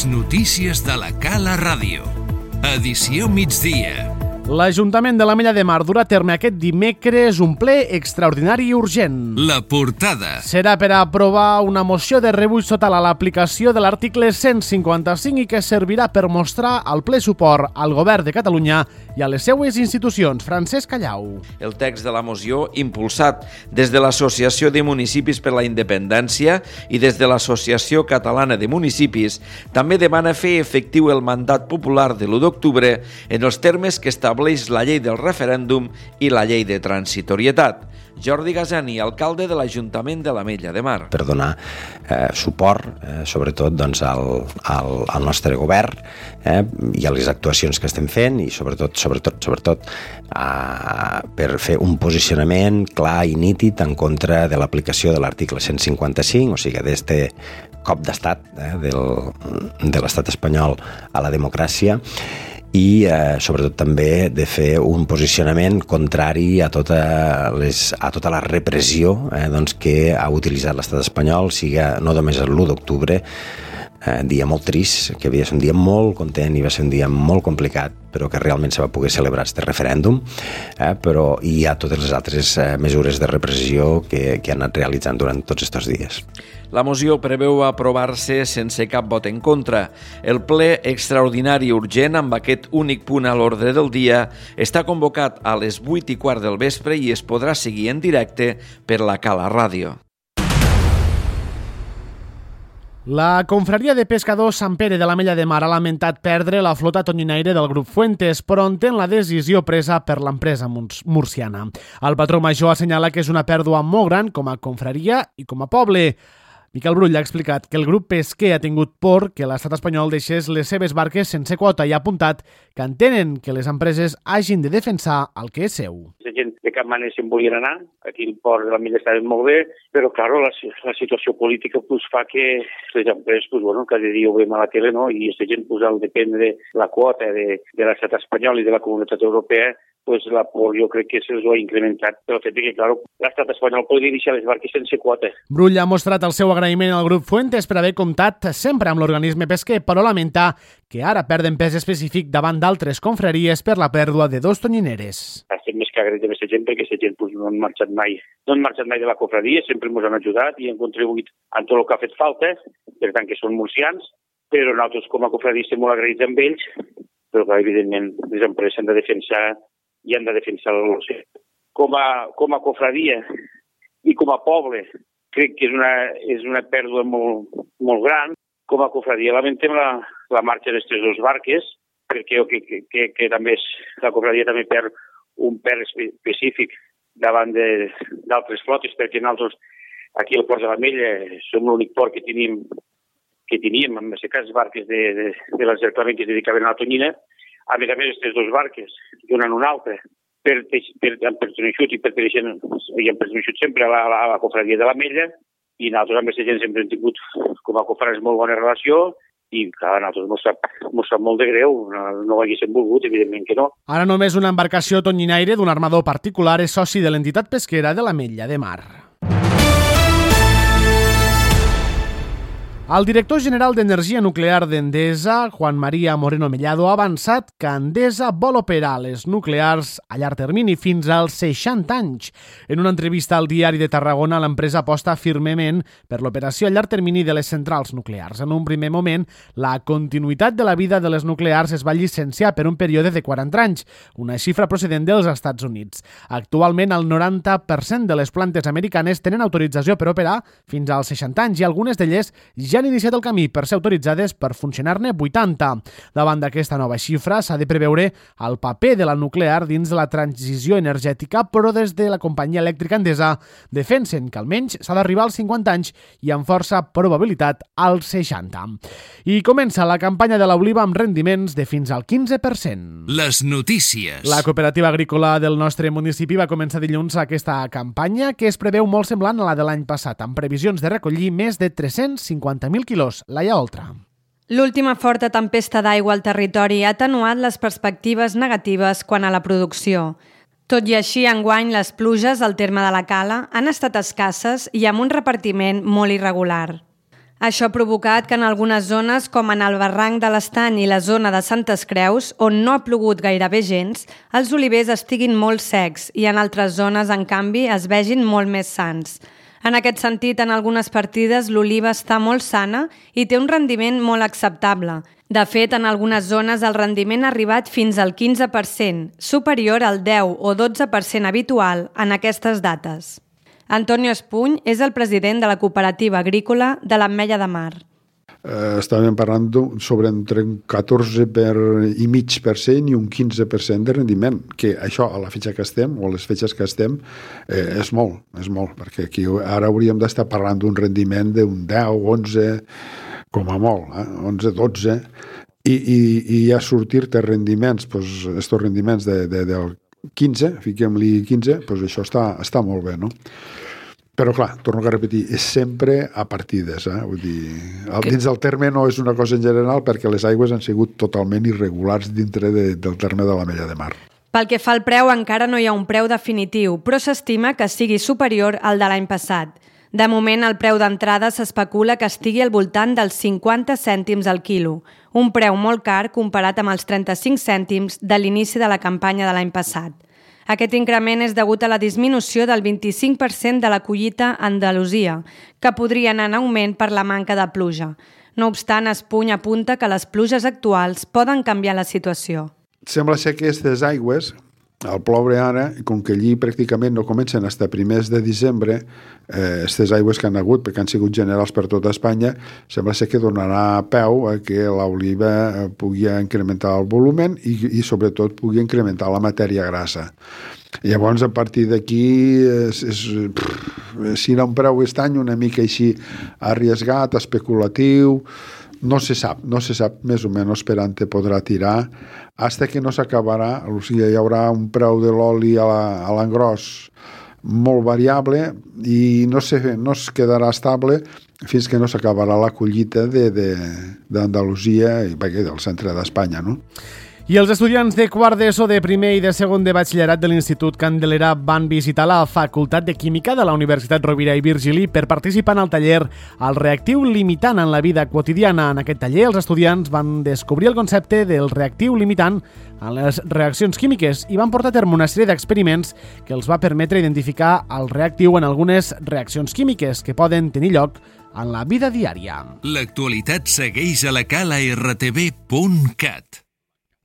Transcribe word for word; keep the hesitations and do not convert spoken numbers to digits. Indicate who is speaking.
Speaker 1: Les notícies de la Cala Ràdio. Edició migdia.
Speaker 2: L'Ajuntament de l'Ametlla de Mar durà a terme aquest dimecres un ple extraordinari i urgent.
Speaker 1: La portada.
Speaker 2: Serà per aprovar una moció de rebuig total a l'aplicació de l'article cent cinquanta-cinc i que servirà per mostrar el ple suport al Govern de Catalunya i a les seues institucions. Francesc Callau.
Speaker 3: El text de la moció, impulsat des de l'Associació de Municipis per la Independència i des de l'Associació Catalana de Municipis, també demana fer efectiu el mandat popular de l'u d'octubre en els termes que estableix la llei del referèndum i la llei de transitorietat. Jordi Gasani, alcalde de l'Ajuntament de l'Ametlla de Mar.
Speaker 4: Per donar eh, suport, eh, sobretot, doncs, al, al, al nostre govern eh, i a les actuacions que estem fent i sobretot, sobretot, sobretot eh, per fer un posicionament clar i nítid en contra de l'aplicació de l'article cent cinquanta-cinc, o sigui, d'este cop d'estat eh, del, de l'estat espanyol a la democràcia, i eh, sobretot també de fer un posicionament contrari a tota, les, a tota la repressió eh, doncs, que ha utilitzat l'estat espanyol, siga no només l'u d'octubre, eh, dia molt trist, que havia de ser un dia molt content i va ser un dia molt complicat, però que realment se va poder celebrar aquest referèndum, eh, però hi ha totes les altres eh, mesures de repressió que, que han anat realitzant durant tots aquests dies.
Speaker 3: La moció preveu aprovar-se sense cap vot en contra. El ple extraordinari urgent amb aquest únic punt a l'ordre del dia està convocat a les vuit i quart del vespre i es podrà seguir en directe per la Cala Ràdio.
Speaker 2: La confraria de pescadors Sant Pere de l'Ametlla de Mar ha lamentat perdre la flota tonyinaire del grup Fuentes, però entén la decisió presa per l'empresa murciana. El patró major assenyala que és una pèrdua molt gran com a confraria i com a poble. Miquel Brull ha explicat que el grup pesquer ha tingut por que l'estat espanyol deixés les seves barques sense quota i ha apuntat que entenen que les empreses hagin de defensar el que és seu.
Speaker 5: La gent de cap manera se'n volien anar, aquí el port de l'Ametlla estava molt bé, però clar, la, la situació política pues, fa que les empreses pues, bueno, cada dia ho veiem a la tele, no? I aquesta gent pues, al dependre la quota de, de l'estat espanyol i de la comunitat europea, pues la por jo crec que se'ls ho ha incrementat pel fet que, clar, l'estat espanyol podria deixar les barques sense quota.
Speaker 2: Brull ha mostrat el seu agraïment al grup Fuentes per haver comptat sempre amb l'organisme pesquer, però lamenta que ara perden pes específic davant d'altres confraries per la pèrdua de dos tonyineres.
Speaker 5: Estem més que agraïts amb aquesta gent perquè aquesta gent pues, no han marxat mai. No han marxat mai de la confraria, sempre ens han ajudat i han contribuït en tot el que ha fet falta, per tant que són murcians, però nosaltres com a confraria estem molt agraïts amb ells, però clar, evidentment les empreses han de defensar i han de defensar l'oceà. Com a, com a confraria i com a poble, crec que és una, és una pèrdua molt, molt gran. Com a confraria lamentem la, la marxa d'aquestes dues barques, perquè que, que, que, que també és, la confraria també perd un perd específic davant d'altres flotes, perquè nosaltres aquí al Port de l'Ametlla som l'únic port que tenim, que teníem, en aquest cas, barques de, de, de l'encerclament que es dedicaven a la tonyina. A més a més, aquestes dues barques donen una altra per, per, han perteneixut i perteneixen, i han perteneixut sempre a la, a la confraria de l'Ametlla i nosaltres amb aquesta gent sempre hem tingut com a confraries molt bona relació i clar, a nosaltres mos sap, mos sap molt de greu, no, no ho haguéssim volgut, evidentment que no.
Speaker 2: Ara només una embarcació tonyinaire d'un armador particular és soci de l'entitat pesquera de l'Ametlla de Mar. El director general d'Energia Nuclear d'Endesa, Juan María Moreno Mellado, ha avançat que Endesa vol operar les nuclears a llarg termini fins als seixanta anys. En una entrevista al Diari de Tarragona, l'empresa aposta firmement per l'operació a llarg termini de les centrals nuclears. En un primer moment, la continuïtat de la vida de les nuclears es va llicenciar per un període de quaranta anys, una xifra procedent dels Estats Units. Actualment, el noranta per cent de les plantes americanes tenen autorització per operar fins als seixanta anys i algunes d'elles ja ja han iniciat el camí per ser autoritzades per funcionar-ne vuitanta. Davant d'aquesta nova xifra s'ha de preveure el paper de la nuclear dins de la transició energètica, però des de la companyia elèctrica Endesa defensen que almenys s'ha d'arribar als cinquanta anys i amb força probabilitat als seixanta. I comença la campanya de l'oliva amb rendiments de fins al quinze per cent.
Speaker 1: Les notícies.
Speaker 2: La cooperativa agrícola del nostre municipi va començar dilluns aquesta campanya que es preveu molt semblant a la de l'any passat, amb previsions de recollir més de tres-cents cinquanta mil quilos. Laia Oltra.
Speaker 6: L'última forta tempesta d'aigua al territori ha atenuat les perspectives negatives quant a la producció. Tot i així, enguany, les pluges al terme de la Cala han estat escasses i amb un repartiment molt irregular. Això ha provocat que en algunes zones, com en el barranc de l'Estany i la zona de Santes Creus, on no ha plogut gairebé gens, els olivers estiguin molt secs i en altres zones, en canvi, es vegin molt més sans. En aquest sentit, en algunes partides l'oliva està molt sana i té un rendiment molt acceptable. De fet, en algunes zones el rendiment ha arribat fins al quinze per cent, superior al deu o dotze per cent habitual en aquestes dates. Antonio Espuny és el president de la cooperativa agrícola de l'Ametlla de Mar.
Speaker 7: Eh, estàvem parlant sobre entre un catorze per i mig per cent i un quinze per cent de rendiment, que això a la fetge que estem, o a les fetges que estem, eh, és molt, és molt, perquè aquí ara hauríem d'estar parlant d'un rendiment d'un deu, onze, com a molt, eh? onze, dotze, i, i, i ja sortir-te rendiments, doncs, estos rendiments de, de, del quinze, fiquem-li quinze, doncs això està, està molt bé, no? Però clar, torno a repetir, és sempre a partides, eh? Vull dir, el, dins del terme no és una cosa en general perquè les aigües han sigut totalment irregulars dintre de, del terme de l'Ametlla de Mar.
Speaker 6: Pel que fa al preu, encara no hi ha un preu definitiu, però s'estima que sigui superior al de l'any passat. De moment, el preu d'entrada s'especula que estigui al voltant dels cinquanta cèntims al quilo, un preu molt car comparat amb els trenta-cinc cèntims de l'inici de la campanya de l'any passat. Aquest increment és degut a la disminució del vint-i-cinc per cent de la collita a Andalusia, que podria anar en augment per la manca de pluja. No obstant, Espuny apunta que les pluges actuals poden canviar la situació.
Speaker 7: Sembla ser que aquestes aigües, al ploure ara, com que allí pràcticament no comencen fins a primers de desembre, aquestes eh, aigües que han hagut, perquè han sigut generals per tota Espanya, sembla ser que donarà peu a que l'oliva pugui incrementar el volumen i, i sobretot pugui incrementar la matèria grassa. Llavors, a partir d'aquí, és, és, si era un preu aquest any una mica així arriesgat, especulatiu, no se sap, no se sap més o menys per on te podrà tirar, fins que no s'acabarà, o sigui, hi haurà un preu de l'oli a l'engròs molt variable i no, se, no es quedarà estable fins que no s'acabarà la collita d'Andalusia i del centre d'Espanya, no?
Speaker 2: I els estudiants de quart d'ESO, de primer i de segon de batxillerat de l'Institut Candelera van visitar la Facultat de Química de la Universitat Rovira i Virgili per participar en el taller El reactiu limitant en la vida quotidiana. En aquest taller, els estudiants van descobrir el concepte del reactiu limitant en les reaccions químiques i van portar a terme una sèrie d'experiments que els va permetre identificar el reactiu en algunes reaccions químiques que poden tenir lloc en la vida diària.
Speaker 1: L'actualitat segueix a la cala r t v punt cat.